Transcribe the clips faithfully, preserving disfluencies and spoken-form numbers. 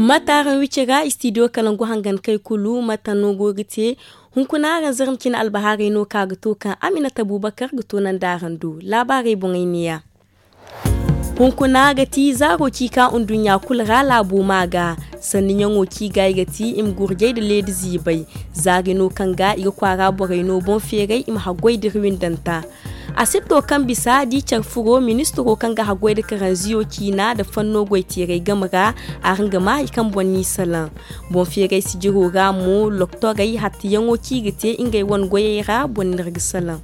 Mate araŋ wicira istidiyo kalangu hangankey kulu mate no go ga te? Hunkuna araŋ zarma cine albahaarey no kaŋ a ga to kaŋ aminata abubakar ga toonandi araŋ do laabaarey boŋey neeya. Hunkuna ga ti zaaro ci ka nduɲɲa kulu ra laabo ma ga sanni ɲaŋo ci ga i ga ti i ma gurjay nda leedi ziibay. Zaari no kaŋ ga i ga kwaara borey no boŋ feeray i ma haggoy da iri windanta. Asibto kaŋ bisa di care furo ministiro kaŋ ga haggoy nda karanziyo ciina nda fanno goyteeray game ra. Araŋ ga ma hari kaŋ boŋ n'i salaŋ. Boŋ feeray sijiro ra mo loktorey hattiyaŋo ci ga te ngey wane goyey ra boŋ no iri ga salaŋ.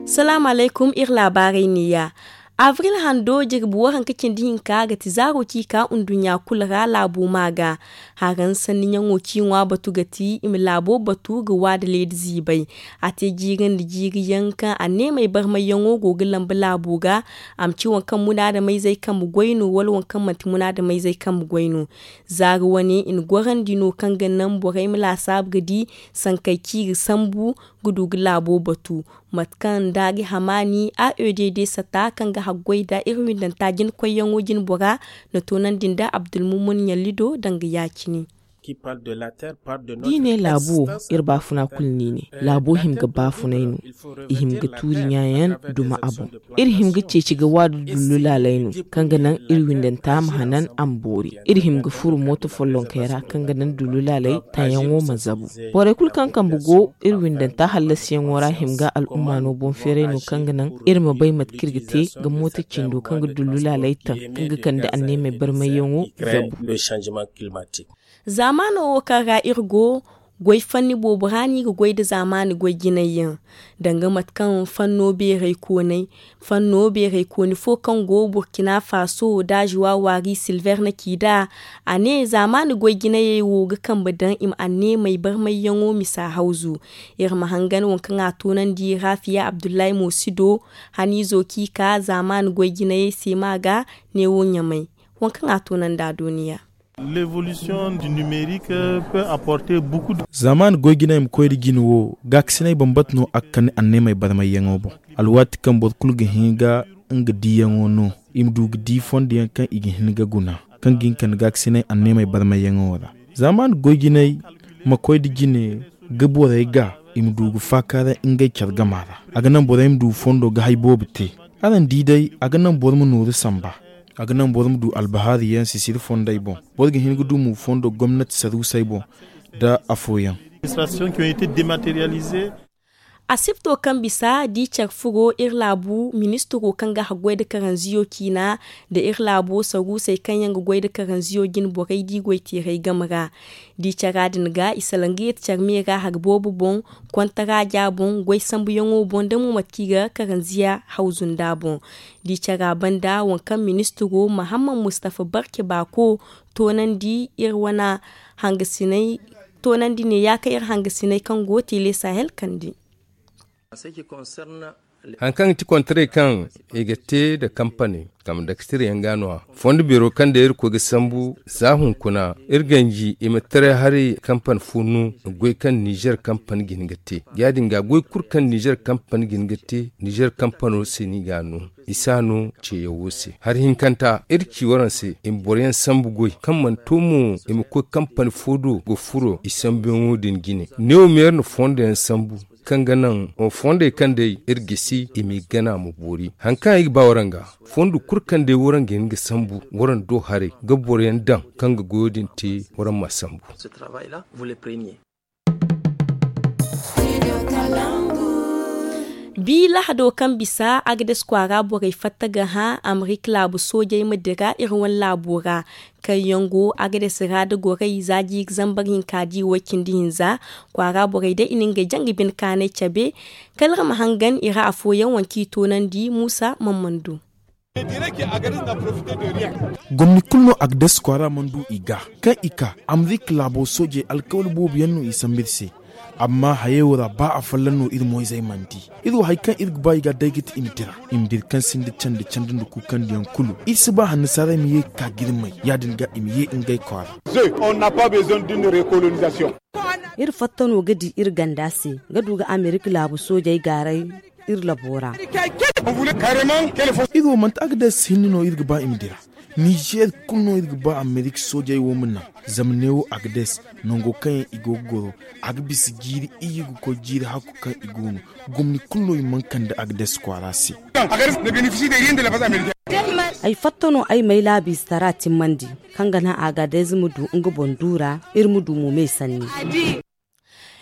Salaamu alaykum iri laabaarey neeya. Abril hando jirbi waranka cindi hinka ga ti zaaro ci ka nduɲɲa kulu ra laabo ma ga. Haraŋ sanni ɲaŋo ci ŋwa batu ga ti i ma laabo batu ga wa nda leedi ziibay. A te jiiri nda jiiri yaŋ kaŋ anneemey barmayyaŋo go ga lambu laabo ga. A ma ci waŋ kaŋ munaadameyzey kambe goy no wala waŋ kaŋ manti munaadameyzey kambe goy no. Zaari wane i na gorandi no kaŋ ga naŋ borey ma laasaabu ga di sankey ciiri sambu ga du ga laabo batu. Mate kaŋ daari hamaani a e d d sata kaŋ ga haggoy nda iri windanta jinakoyyaŋo jinbora na toonandi nda abdulmumun ɲallido danga ya-cine. Da i ne laabo wo, iri baafuna kulu no i ne. Laabo hima ga baafunay no. I hima ga tuuri ɲaayaŋ duma a boŋ. Iri hima ga ceeci ga waadu dullu laalay no kaŋ ga naŋ iri windanta ma hanan a ma boori. Iri hima ga furu mooto follonkey ra kaŋ ga naŋ dullu laalay taŋyaŋo ma zabu. Borey kulu kaŋ kambe go iri windanta hallasiyaŋo ra hima ga al'umma no boŋ feeray no kaŋ ga naŋ iri ma bay mate kaŋ iri ga te ga mooto cindo kaŋ ga dullu laalay taŋ kaŋ ga kande anneemey barmayyaŋo zabu. Zaamaano wo kaŋ ra iri go, goy fanni boobo ra no i ga goy nda zaamaani goy jinay yaŋ. Danga mate kaŋ fanno beeray koonay fanno beeray kooni fo kaŋ go burkina faso da zuwa waari silver na ci nd'a. A ne zaamaani goy jinayey wo ga kambe daŋ i ma anneemey barmayyaŋo misa hawzu. Iri ma hangan waŋ kaŋ a toonandi rafiya abdullahi moosido haniizo kaŋ i ka zaamaani goy jinayey se ma ga neewo ɲamay. Waŋ kaŋ a toonandi a dooniya. Zaamaani goy jinay ma koy nda jine wo gaakasinay bambata no a ga kande anneemey barmayyaŋo boŋ. Alwaati kaŋ boro kulu ga hin ga nga diyaŋo no i ma du ga di fondo yaŋ kaŋ i ga hin ga guna kaŋ ga hin ga kande gaakasinay anneemey barmayyaŋo ra. Zaamaani goy jinay ma koy nda jine ga borey ga i ma du ga faakaaray ngey care gama ra. A ga naŋ borey ma du fondo ga hay boobo te. Araŋ di day a ga naŋ boro ma nooru samba. A ga naŋ boro ma du albahaari yaŋ sisiri fondey boŋ. Boro ga hin ga du mo fondo gomnati saruusey boŋ nda afooyaŋ. Asibto kaŋ bisa di care furo iri laabu ministiro kaŋ ga haggoy nda karanziyo ciina nda iri laabo saruusey kaŋ yaŋ ga goy nda karanziyo jine borey di goyteeray game ra. Di cara din ga i salaŋ ga yeeti care me ra hari boobo boŋ, kontaraaja boŋ, goy sambuyaŋo boŋ nda mo mate kaŋ i ga karanziya hawzu nd'a boŋ. Di cara banda waŋ kaŋ ministiro mahamman mustafa barke baako toonandi iri wane hangasinay toonandi ne ya kaŋ iri hangasinay kaŋ go tele sahel kandi. Hari kaŋ ga ti kontaray kaŋ i ga te nda kampani kambe daktir yaŋ ga no- ya fondo beero kaŋ day iri koy ga sambu za hunkuna iri ganji i ma taray hari kampani fo no goy kaŋ nizer kampani ga hin ga te. Ya- din ga goy kulu kaŋ nizer kampani ga hin ga te nizer kampano se no i ga no. I si a no ceeyaŋo se hari hinkanta iri ci waraŋ se i ma boro yaŋ sambu goy kaŋ mana to mo i ma koy kampani fo do ga furo i sambuyaŋo din jine. Neewo meera na fondo yaŋ sambu kaŋ ga naŋ fondey kaŋ day iri gisi i m'i gana ma boori hari kaŋ ay ga ba waraŋ ga. Fondo kulu kaŋ day waraŋ ga hin ga sambu waraŋ do haray ga boro yaŋ daŋ kaŋ ga goyo din te waraŋ ma sambu. Bi lahado kaŋ bisa agades kwaara borey fatta ga hã amerika laabu soojey ma dira iri wane laabo ra. Kaŋ yaŋ go agades ra nda gorey za jiiri zambar hinka di way cindi hinza. Kwaara borey day i na ngey jaŋ ga bine kaanay cabe. Kala iri ma hangan i ra afooyaŋ waŋ kaŋ i toonandi muusa man mana du. Gomni kulu no agades kwaara mana du i ga kaŋ i ka amerika laabo soojey alkawal boobo yaŋ no i sambu iri se. Amma hayey wo ra ba afolloŋ no iri moyzey mana di. Iri wo hari kaŋ iri ga ba i ga day ga ti i ma dira i ma dira kaŋ sinda candi candi nda kuukandiyaŋ kulu iri si ba hannasaarey ma ye ga ka girmay ya- din ga i ma ye ngey kwaara. Iri fatta no ga di iri ganda se ga du ga amerika laabu soojey gaaray iri labo ra. Iri wo manti agades hinne no iri ga ba i ma dira. Nizeer kulu no iri ga ba amerika soojey wo ma naŋ. Zama neewo agades nango kaŋ yaŋ i go ga goro, a ga bisa jiiri iyye ga koy jiiri hakku kaŋ i go no. Gomni kulu no i mana kande agades kwaara se. Ay fatta no ay m'ay laabiizitara timmandi, kaŋ ga naŋ agades ma du nga boŋ duura, iri ma du mo me sanni.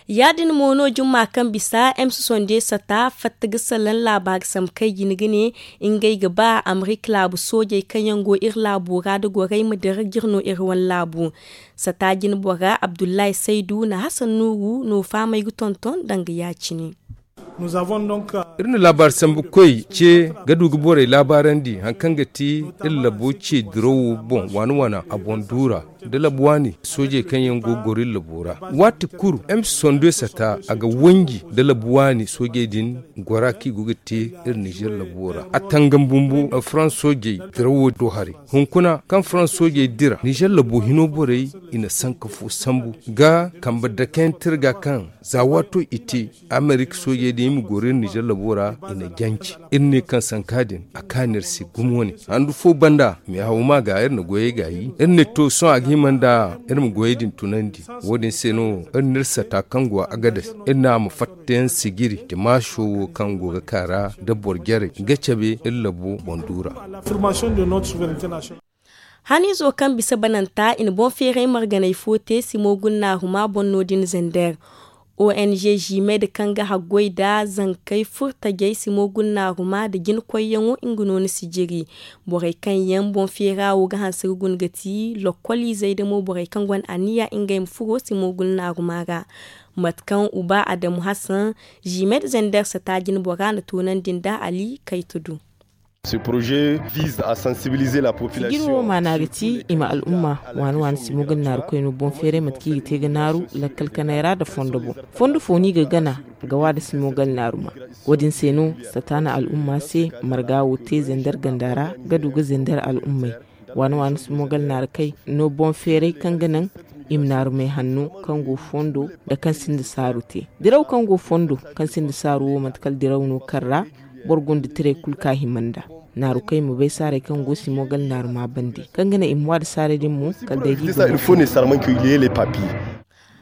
Ya-din mo no jumma kaŋ bisa ems sonde sata fatta ga salaŋ laabaari sambu kaŋ i jin ga ne, ngey ga ba amerika laabu soojey kaŋ yaŋ go iri laabo ra da gorey ma dira ga iri no iri wane laabu. Sata jine bora abdullahi saydu na hasan nuuru no faamay ga tonton danga ya-cine. Iri na laabaari sambu koy ce ga du ga borey laabaarandi hari kaŋ ga ti iri labo ce dirawo boŋ waana waana a boŋ duura, da labu waani soojey kaŋ yaŋ go ga goro iri labo ra. Waati kulu ems sonde sata a ga wanji da labu waani soojey din gora kaŋ i go ga te iri nizeer labo ra. A tangam bumbo faransa soojey dirawo do haray. Hunkuna kaŋ faransa soojey dira nizeer labo hino borey, i na sanka fo sambu ga kambe dakeyaŋ tirga kaŋ za waato i te amerika soojey din i ma goro iri nizeer labo ra, i na janci. Iri ne kaŋ sanka din a kaanu iri se gumo wane handu fo banda meehaw ma ga iri na goyey gaayi. Iri ne to sohõ a ga hima nda iri ma goyey din tunandi. Wo-din se no iri na iri sata kaŋ go agades iri ne a ma fatta yaŋ sijiri dimaaso wo kaŋ go ga kaa ra da boro jarey ga cabe iri labo boŋ duura. Haniizo kaŋ bisa bananta i na boŋ feeray marganey fo te simo gulnaaruma boŋ no-din zander. Ong jimed kaŋ ga haggoy nda zankey furtajey simo gulnaaruma nda jinkoyyaŋo nga no ni sijiri. Borey kaŋ yaŋ boŋ feera wo ga hanse ga guna ga ti lokkoliizey da mo borey kaŋ gonda aniya ngey ma furo simo gulnaaruma ra. Mate kaŋ uba adamu hasan jimed zander sata jinbora na toonandi nda ali kayta du. Sijiri wo maana ga ti i ma al'umma waani waani simo ga naaru koyno boŋ feeray mate kaŋ i ga te ga naaru lakkal kanay ra nda fondo boŋ. Fondo fo no i ga gana ga wa nda simo ga naaru ma. Wo-din se no sata na al'umma se marga wo te zender ganda ra ga du ga zender al'ummey. Waani waani simo ga naaru kay no boŋ feeray kaŋ ga naŋ i ma naaru may hanno kaŋ go fondo nda kaŋ sinda saaru te. Diraw kaŋ go fondo kaŋ sinda saaru wo mate kala diraw no kaŋ ra boro gonda tiray kulu ka hima nda naaru kaŋ i ma bay saaray kaŋ go simo gala naaru ma bande kaŋ ga naŋ i ma waada saaray din mo kala day da i ga.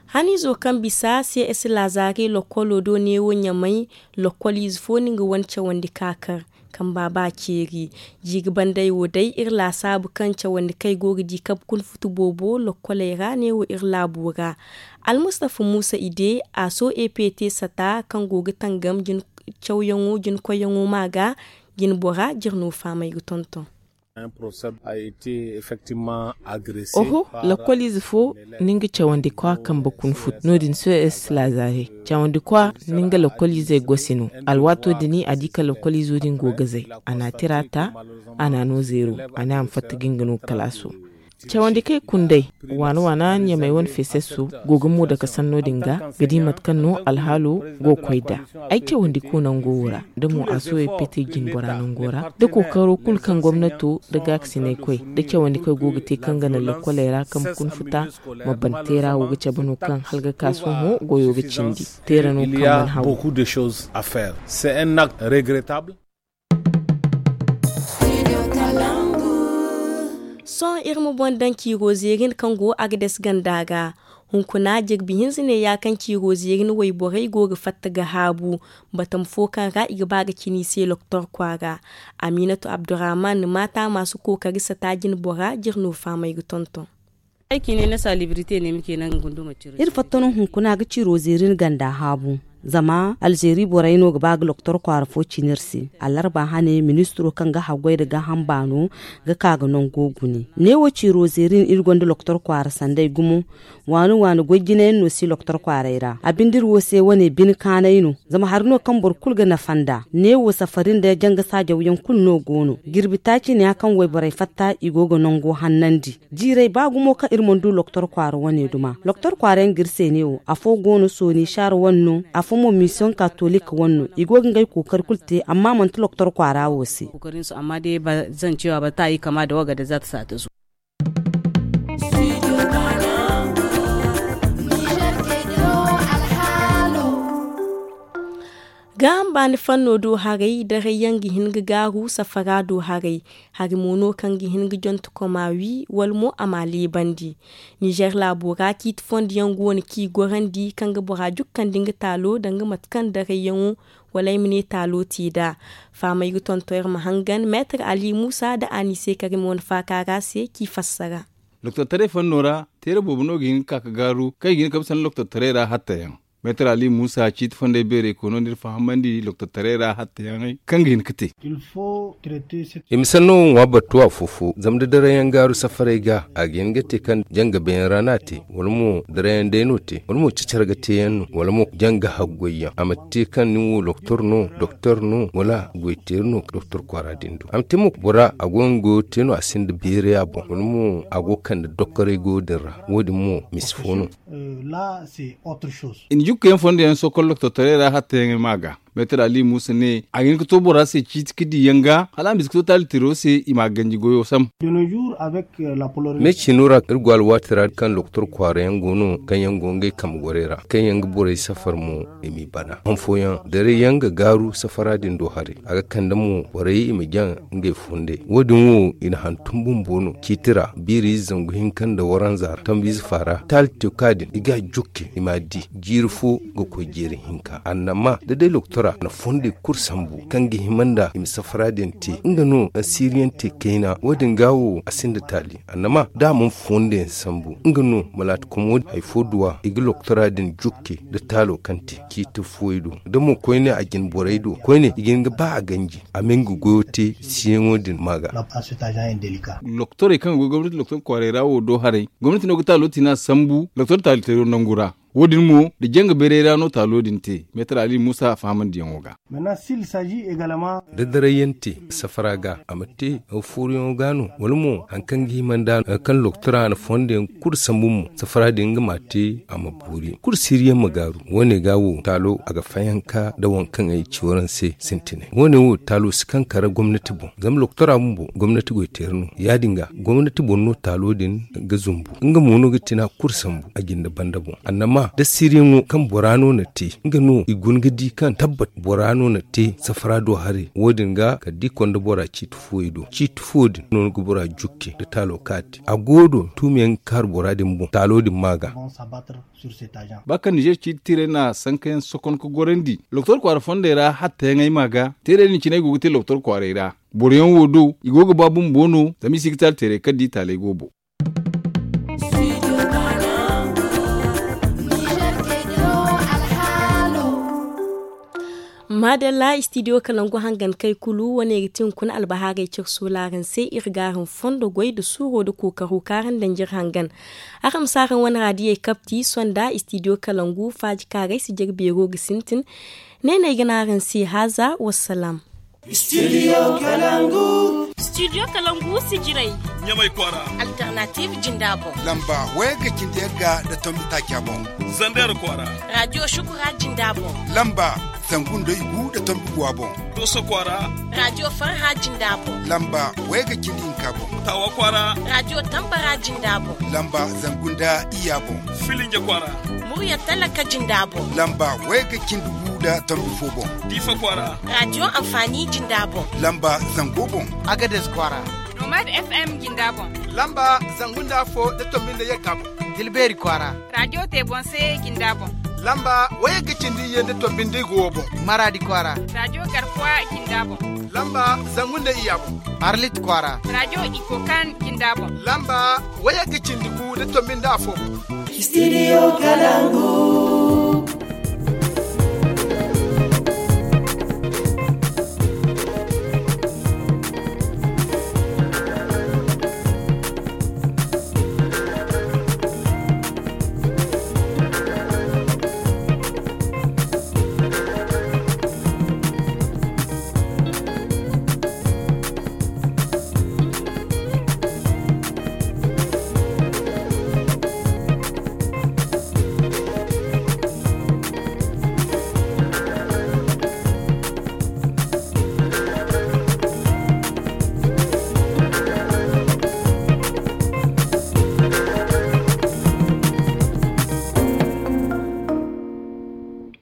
Haniizo kaŋ bisa cs lazaari lokkolo do neewo ɲamay lokkoliize fo no nga wane cawandi ka kar kamba ba ceeri. Jiiri bandey wo day iri laasaabu kaŋ cawandi kaŋ ay go ga di kabe kuna futu boobo lokkoley ra neewo iri laabo ra. Almustafa muusa ide a so ept sata kaŋ go ga tangam cawyaŋo jinkoyyaŋo ma ga jinbora jirno faamay ga tonton. Oho, lakkoliize fo ni nga cawandikwa kambe kuna futu no- din so cs lazaare. Cawandikwa ni nga lakkoliizey gosi no. Alwaato din a di ka lakkoliizo din go ga zay. A na a tira ta. A na a no zeero. A ne a ma fatta ga nga no kalaaso. Cawandi kaŋ ay kundey waana waana ɲamay wane feesesso go ga mo dake sanno din ga ga di mate kaŋ no alhaalo go ga koy nd'a. Ay cawandi ko nango wo ra da mo a soobay pete jinbora nango ra da kookaro kulu kaŋ gomnato da gaakasinay koy da cawandi kaŋ go ga te kaŋ ga naŋ lokkoley ra kaŋ ma kuna futa ma ban teera wo ga cabe no kaŋ hala ga ka sohõ goyo ga cindi. Teera no kaŋ mana haw. Sohõ iri ma boŋ daŋ ciiro zeerin kaŋ go agades ganda ga. Hunkuna jirbi hinza ne ya kaŋ ciiro zeerin wayborey go ga fatta ga haabu. Batam fo kaŋ ra i ga ba ga cina i se loktor kwaara. Aminatu abdurrahman maata maasu kookari sata jinbora jirno faamay ga tonton. Iri fatta no hunkuna ga ciiro zeerin ganda haabu. Zama alzeeri borey no ga ba ga loktor kwaara fo cina iri se. Allarba hane ministiro kaŋ ga haggoy nda gaaham baano ga ka ga nango gune. Neewo ciiro zeerin iri gonda loktor kwaara sanday gumo. Waani waani goy jinayaŋ no si loktor kwaaray ra a binde iri wo se wane bine kaanay no. Zama hari no kaŋ boro kulu ga nafa nd'a neewo safari nda janga saajawyaŋ kulu no go no jirbi taaci ne ya kaŋ wayborey fatta i go ga nango hannandi. Jiirey ba gumo kaŋ iri mana du loktor kwaara wane duma loktor kwaara yaŋ ga iri se neewo afo go no sooni saara wane no. Afo mo misiyoŋ katolik wane no i go ga ngey kookari kulu te amma manti loktor kwaara wo se. Amma day ba zan cewa ba ta yi kama da waga da za ta sa ta zo. Gaaham baani fanno do haray daray yaŋ ga hin ga gaaru safara do haray. Hari mo no kaŋ ga hin ga jonte koma wi wala mo a ma a leebandi. Nizer laabo ra ciiti fondo yaŋ go no kaŋ i gorandi kaŋ ga bora jukkandi nga taalo danga mate kaŋ daray yaŋo wala ay ma ne taalo te nd'a. Fahamay ga tonton iri ma hangan meetar ali muusa nda anise karim wane faaka ra se kaŋ i fassara. Doktor taray fanno ra teera boobo no ga hin ga ka ga gaaru kaŋ i ga hin ga kabe sanda doktor taray ra hatta yaŋ. Meetar ali muusa ciiti fondey beerey koy no n'iri fahamandi doktor taray ra hatta yaŋey kaŋ ga hin ga te. I ma sanno wo ŋwa battu afo-fo zama da daray yaŋ gaaru safaray ga a ga hin ga te kaŋ janga beeyaŋ ra no a te wala mo daray yaŋ day no te wala mo cacar ga te yaŋ no wala mo janga haggoy yaŋ a ma te kaŋ nin wo doktor no doktor no wala goyteeri no doktor kwaara din do a ma te mo bora a go nga goyo te no a sinda beeray a boŋ wala mo a go ga kande dokkoray goyo din ra wo- din mo misi fo no. I na jukku yaŋ fondo yaŋ sokol doktor taray ra hatta yaŋey ma ga meetar ali muusa ne a ga hin ga to bora se ciiti ga di yaŋ ga hala a ma bisa ga to taali teero se i ma a ganji goyo sam. Me ciino ra iri go alwaati ra kaŋ doktor kwaara yaŋ go no kaŋ yaŋ go ngey kambe gorey ra kaŋ yaŋ ga borey safar mo i m'i bana han fooyaŋ daray yaŋ ga gaaru safara din do haray a ga kande mo borey i ma jaŋ ngey fondey wo- din wo i na hantum bumbo no ciiti ra biiri ize zangu hinka nda waranza ra tambiize faara taali te ka din i ga a jukke i m'a di jiiri fo ga koy jeeri hinka annama da day doktora na fondey kulu sambu kaŋ ga hima nda i ma safara din te nga no asiriyaŋ te kayna wo- din ga wo a sinda taali annama da a mana fondo yaŋ sambu nga no malaati komo hay fo duwa i ga doktora din jukke nda taalo kaŋ te ciiti fooyey do da mo koyne a jine borey do koyne i ga hin ga ba a ganji a ma nga goyo te siyaŋo din ma ga. Doktorey kaŋ ga goy gomnati doktor kwaaray ra wo do haray gomnati no ga taalo tiina sambu doktor taali teero nangu ra wo- din mo nda janga beeray ra no taalo din te meetar ali muusa fahamandiyaŋo ga. Da daray yaŋ te safara ga a ma te fooruyaŋo ga no wala mo hari kaŋ ga hima nda hari kaŋ doktora na fondo yaŋ kulu sambu mo safara din nga ma a te a ma boori kulu siiriyaŋ ma gaaru wo- ne ga wo taalo a ga fayanka nda waŋ kaŋ ay ci waraŋ se sintinay wo- ne wo taalo si kaŋ kara gomnati boŋ zama doktora bumbo gomnati goyteeri no ya- din ga gomnati boŋ no taalo din ga zumbu nga mo no ga tina kulu sambu a jinde banda boŋ annama da siiriyaŋo kaŋ bora no na te nga no i guna ga di kaŋ tabbat bora no na te safara do haray wo- din ga kala da i konda bora ciiti fooyey do ciiti fooyey din no ni ga bora jukke nda taalo kaati a go do tuumiyaŋ ga kaaru bora din boŋ taalo din ma ga. Ba kaŋ nizer ciiti tiirey na sankayaŋ sokon ga gorandi doktor kwaara fondey ra hattayaŋey ma ga teerey din cine ay go ga te doktor kwaaray ra boroyaŋ wo do i go ga ba bumbo no zama i si ga taali teeray kaŋ da i taaley go boŋ. Maadalla istidiyo kalangu hangan kay kulu wane ga ti hunkuna albahaarey care soolaaran se iri ga araŋ fondo goy nda suuro nda kookaro kaŋ araŋ danji iri hangan. Araŋ ma si araŋ wane raadiyey kabti sonda istidiyo kalangu faaji kaaray si jare beero ga sintin. Ne no ay ga ne araŋ se haaza wassalaam. Studio kalangu. Studio kalangu si jiray. Ɲamay kwaara. Alternative jinda boŋ. Lamba wayagga cindi yagga nda tombi taaca boŋ. Zander kwaara. Radio shukura jinda boŋ. Lamba zangu nda igu nda tombi guwa boŋ. Doso kwaara. Radio farha jinda boŋ. Lamba wayagga cindi hinka boŋ. Tawa kwaara. Radio tambara jinda boŋ. Lamba zangu nda iya boŋ. Filinja kwaara. Murya talaka jinda boŋ. Lamba wayagga cindi gu nda tombi fo boŋ. Diifa kwaara. Radio amfani jinda boŋ. Lamba zango boŋ. Agades kwaara. Nomad FM jinda boŋ. Lamba zangu nda afo nda tombi nda yagga boŋ. Tilbeeri kwaara. Radio te boŋ se jinda boŋ. Lamba wayagga cindi ye nda tombi nda igu wo boŋ. Maradi kwaara. Radio garkuwa jinda boŋ. Lamba zangu nda iya boŋ. Arlit kwaara. Radio ikokan jinda boŋ. Lamba wayagga cindi gu nda tombi nda afo boŋ. Studio kalangu.